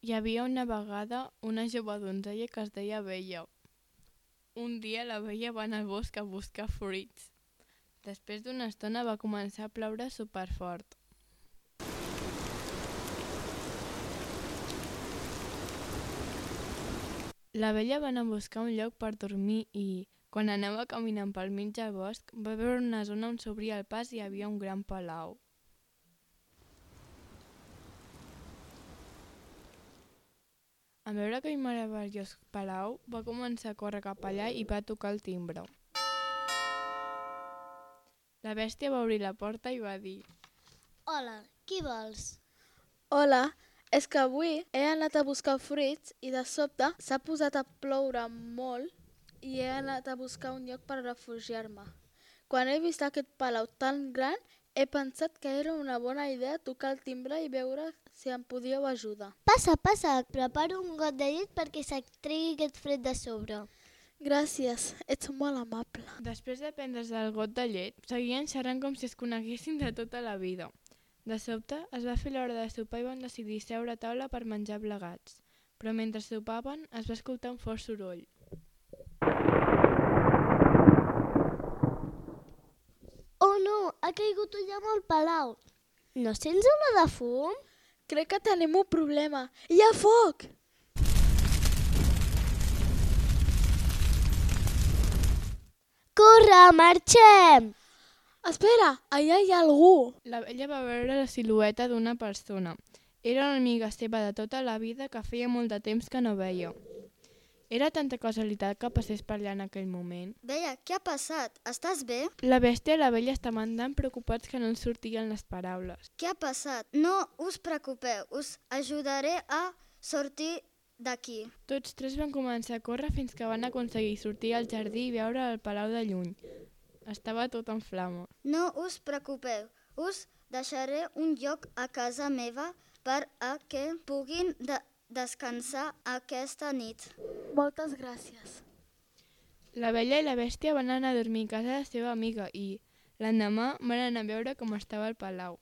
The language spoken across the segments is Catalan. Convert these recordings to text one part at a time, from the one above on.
Hi havia una vegada una jove donzella que es deia Bella. Un dia la Bella va anar al bosc a buscar fruits. Després d'una estona va començar a ploure superfort. La Bella va anar a buscar un lloc per dormir i, quan anava caminant pel mig del bosc, va veure una zona on s'obria el pas i hi havia un gran palau. En veure aquell meravellós palau, va començar a córrer cap allà i va tocar el timbre. La bèstia va obrir la porta i va dir: Hola, qui vols? Hola, és que avui he anat a buscar fruits i de sobte s'ha posat a ploure molt i he anat a buscar un lloc per refugiar-me. Quan he vist aquest palau tan gran, he pensat que era una bona idea tocar el timbre i veure si em podíeu ajudar. Passa, passa, preparo un got de llet perquè se't tregui aquest fred de sobre. Gràcies, ets molt amable. Després de prendre's el got de llet, seguien xerrant com si es coneguessin de tota la vida. De sobte, es va fer l'hora de sopar i van decidir seure a taula per menjar plegats. Però mentre sopaven, es va escoltar un fort soroll. Oh no, ha caigut un llamp al palau. No sents olor de fum? Crec que tenim un problema. Hi ha foc! Corre, marxem! Espera, allà hi ha algú. La Bella va veure la silueta d'una persona. Era una amiga seva de tota la vida que feia molt de temps que no veia. Era tanta casualitat que passés per allà en aquell moment. Bella, què ha passat? Estàs bé? La bèstia i la Bella estaven tan preocupats que no els sortien les paraules. Què ha passat? No us preocupeu, us ajudaré a sortir d'aquí. Tots tres van començar a córrer fins que van aconseguir sortir al jardí i veure el palau de lluny. Estava tot en flames. No us preocupeu, us deixaré un lloc a casa meva per a que puguin descansar aquesta nit. Moltes gràcies. La Bella i la bèstia van anar a dormir a casa de la seva amiga i, l'endemà, van anar a veure com estava el palau.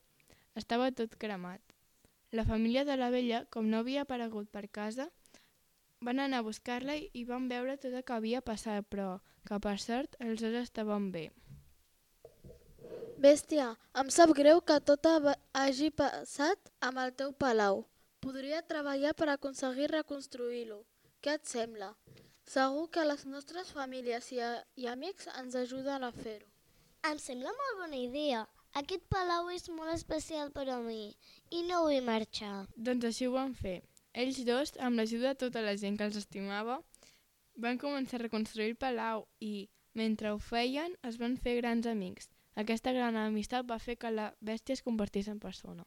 Estava tot cremat. La família de la Bella, com no havia aparegut per casa, van anar a buscar-la i van veure tot el que havia passat, però que per sort els dos estaven bé. Bèstia, em sap greu que tot hagi passat amb el teu palau. Podria treballar per aconseguir reconstruir-lo. Què et sembla? Segur que les nostres famílies i amics ens ajuden a fer-ho. Em sembla molt bona idea. Aquest palau és molt especial per a mi i no vull marxar. Doncs així ho van fer. Ells dos, amb l'ajuda de tota la gent que els estimava, van començar a reconstruir el palau i, mentre ho feien, es van fer grans amics. Aquesta gran amistat va fer que la bèstia es convertís en persona.